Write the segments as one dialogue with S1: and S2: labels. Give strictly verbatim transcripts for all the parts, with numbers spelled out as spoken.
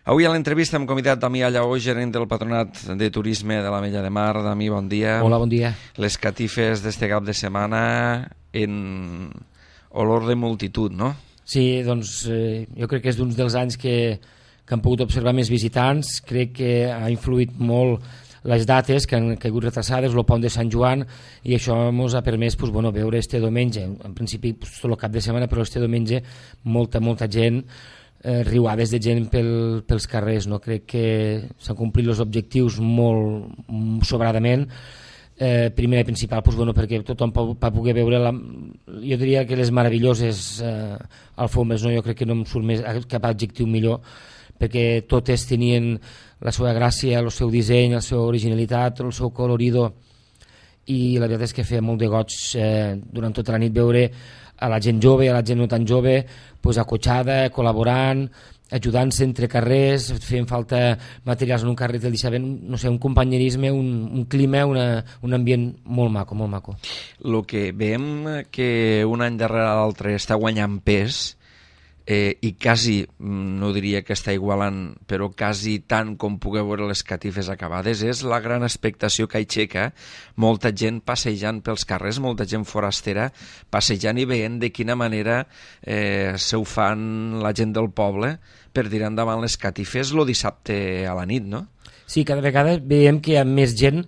S1: Avui a l'entrevista hem convidat Damià Lleó, gerent del Patronat de Turisme de l'Ametlla de Mar. Dami, bon dia.
S2: Hola, bon dia.
S1: Les catifes d'este cap de setmana en olor de multitud, no?
S2: Sí, doncs eh, jo crec que és d'un dels anys que, que han pogut observar més visitants. Crec que ha influït molt les dates que han caigut retrasades, el pont de Sant Joan, i això ens ha permès pues, bueno, veure este diumenge, en principi pues, tot el cap de setmana, però este diumenge molta, molta gent, eh, riuades de gent pel, pels carrers. No? Crec que s'han complit els objectius molt sobradament. Eh, primer i principal, pues, bueno, perquè tothom va poder veure, la, jo diria que les meravelloses eh, alfombres, no? Jo crec que no em surt més, cap adjectiu millor, perquè totes tenien la seva gràcia, el seu disseny, la seva originalitat, el seu colorido, i la veritat és que feia molt de goig eh, durant tota la nit veure a la gent jove, a la gent no tan jove, pues, acotxada, col·laborant, ajudant-se entre carrers, feien falta materials en un carrer, el deixaven, no sé, un companyerisme, un, un clima, una, un ambient molt maco, molt maco.
S1: El que veiem que un any darrere l'altre està guanyant pes, eh, i quasi, no diria que està igualant, però quasi tant com pugueu veure les catifes acabades, és la gran expectació que aixeca molta gent passejant pels carrers, molta gent forastera passejant i veient de quina manera eh, se ho fan la gent del poble per tirar endavant les catifes el dissabte a la nit, no?
S2: Sí, cada vegada veiem que hi ha més gent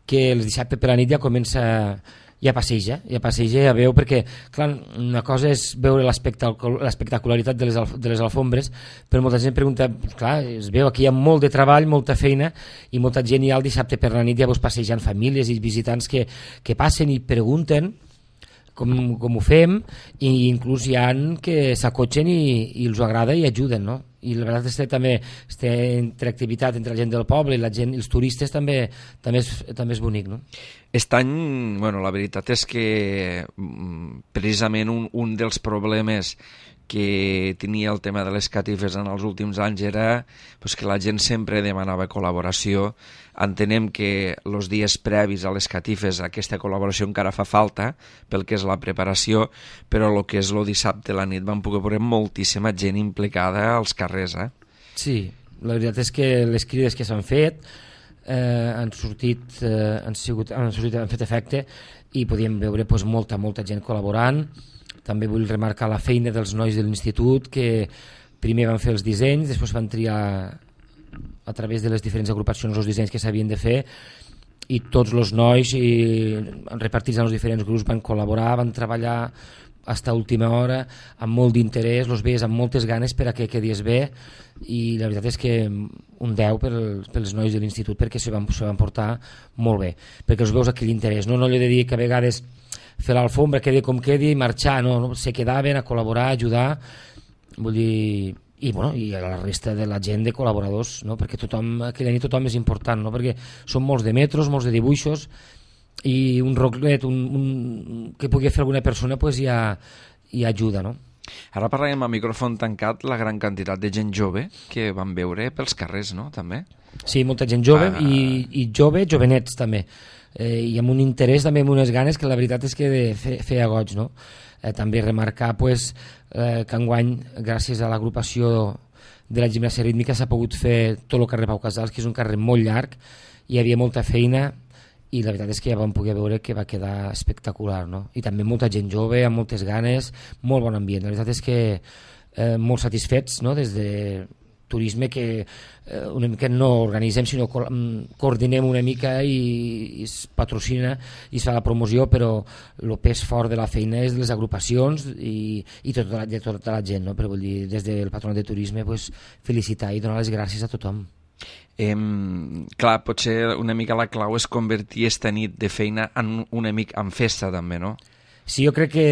S2: que el dissabte per la nit ja comença ja passeja, ja passeja, ja veu, perquè clar, una cosa és veure l'espectacularitat de les, de les alfombres, però molta gent pregunta, clar, es veu aquí hi ha molt de treball, molta feina, i molta gent ja el dissabte per la nit ja veus passejant famílies i visitants que, que passen i pregunten com, com ho fem, i inclús hi ha que s'acotxen i, i els agrada i ajuden, no? I la veritat és que també aquesta interactivitat entre la gent del poble i la gent, els turistes també, també, és, també és bonic, no?
S1: Aquest any, bueno, la veritat és que precisament un, un dels problemes que tenia el tema de les catifes en els últims anys era pues, que la gent sempre demanava col·laboració. Entenem que els dies previs a les catifes aquesta col·laboració encara fa falta pel que és la preparació, però el que és el dissabte a la nit van poder veure moltíssima gent implicada als carrers. Eh?
S2: Sí, la veritat és que les crides que s'han fet eh, han sortit, eh, han, sigut, han, sortit, han fet efecte, i podíem veure pues, molta, molta gent col·laborant. També vull remarcar la feina dels nois de l'institut, que primer van fer els dissenys, després van triar a través de les diferents agrupacions els dissenys que s'havien de fer, i tots els nois i, repartits en els diferents grups van col·laborar, van treballar fins a última hora, amb molt d'interès, els veies amb moltes ganes per a que quedés bé, i la veritat és que un deu pel, pels nois de l'institut, perquè se van, se van portar molt bé, perquè els veus aquell interès, no, no allò de dir que a vegades fer l'alfombra, quedi com quedi i marxar, no, no, se quedaven a col·laborar, a ajudar, vull dir, i, bueno, i a la resta de la gent de col·laboradors, no? Perquè tothom, aquella nit tothom és important, no? Perquè són molts de metros, molts de dibuixos, i un roclet un, un, que pugui fer alguna persona pues, ja, ja ajuda, no?
S1: Ara parlàvem a micròfon tancat la gran quantitat de gent jove que van veure pels carrers, no? També?
S2: Sí, molta gent jove,
S1: ah.
S2: i, i jove, jovenets també, eh, i amb un interès també, amb unes ganes que la veritat és que fe, feia goig, no? Eh, també remarcar pues, eh, que enguany, gràcies a l'agrupació de la gimnàsia rítmica, s'ha pogut fer tot el carrer Pau Casals, que és un carrer molt llarg, hi havia molta feina, i la veritat és que ja vam poder veure que va quedar espectacular, no? I també molta gent jove, amb moltes ganes, molt bon ambient. La veritat és que eh, molt satisfets, no? Des de turisme, que eh, una mica no organitzem, sinó co coordinem una mica i, i es patrocina i es fa la promoció, però el pes fort de la feina és de les agrupacions i, i tota la, de tota la gent, no? Però vull dir, des del Patronat de Turisme pues, felicitar i donar les gràcies a tothom.
S1: Eh, clar, potser una mica la clau és convertir esta nit de feina en una mica en festa també, no?
S2: Sí, jo crec que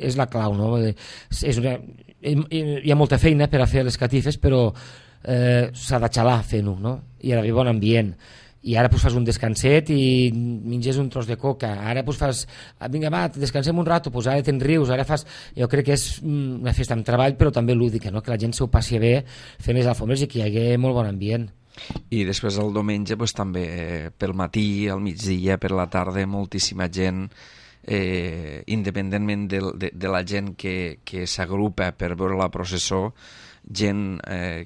S2: és la clau, no? És una, hi ha molta feina per a fer les catifes, però eh, s'ha de xalar fent-ho, no? I ha d'haver bon ambient. I ara pues, fas un descanset i menges un tros de coca, ara pues, fas, vinga va, descansem un rato, pues, ara te'n rius, ara fas... Jo crec que és una festa amb treball, però també lúdica, no? Que la gent s'ho passi bé fent les alfombres i que hi hagi molt bon ambient.
S1: I després el diumenge pues, també eh, pel matí, al migdia, per la tarda, moltíssima gent, eh, independentment de, de, de la gent que, que s'agrupa per veure la processó, gent eh,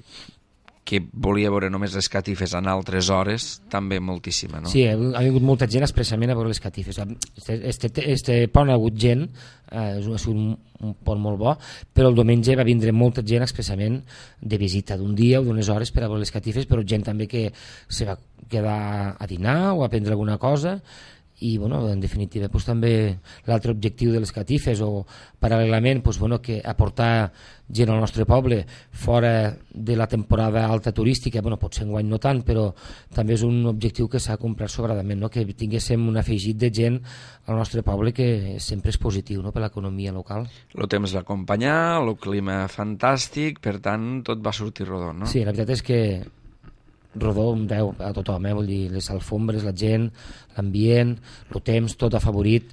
S1: que volia veure només les catifes en altres hores, també moltíssima, no?
S2: Sí, ha vingut molta gent expressament a veure les catifes. Este, este, este pont ha hagut gent, eh, és un, un pont molt bo, però el diumenge va vindre molta gent expressament de visita d'un dia o d'unes hores per a veure les catifes, però gent també que se va quedar a dinar o a prendre alguna cosa, i bueno, en definitiva pues, també l'altre objectiu de les catifes o paral·lelament pues, bueno, que aportar gent al nostre poble fora de la temporada alta turística, bueno, potser enguany no tant, però també és un objectiu que s'ha complert sobradament, no? Que tinguéssim un afegit de gent al nostre poble que sempre és positiu, no? Per l'economia local.
S1: El temps va acompanyar, el clima fantàstic, per tant tot va sortir rodó, no?
S2: Sí, la veritat és que rodó veu a tothom, eh? Vull dir, les alfombres, la gent, l'ambient, el temps, tot afavorit,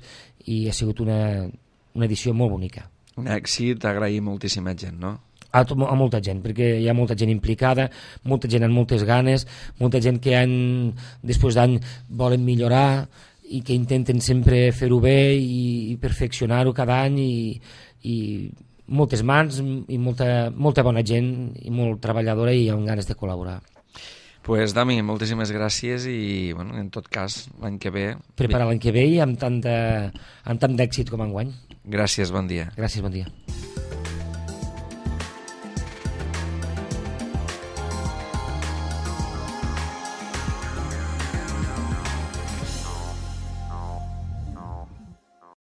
S2: i ha sigut una, una edició molt bonica.
S1: Un èxit, agrair moltíssima gent, no?
S2: A, to a molta gent, perquè hi ha molta gent implicada, molta gent amb moltes ganes, molta gent que any, després d'any volen millorar i que intenten sempre fer-ho bé i, i perfeccionar-ho cada any, i, i moltes mans i molta, molta bona gent i molt treballadora i amb ganes de col·laborar.
S1: Pues, Dami, moltíssimes gràcies i, bueno, en tot cas, l'any que ve...
S2: Preparar l'any que ve i amb tant d'èxit com enguany.
S1: Gràcies, bon dia.
S2: Gràcies, bon dia.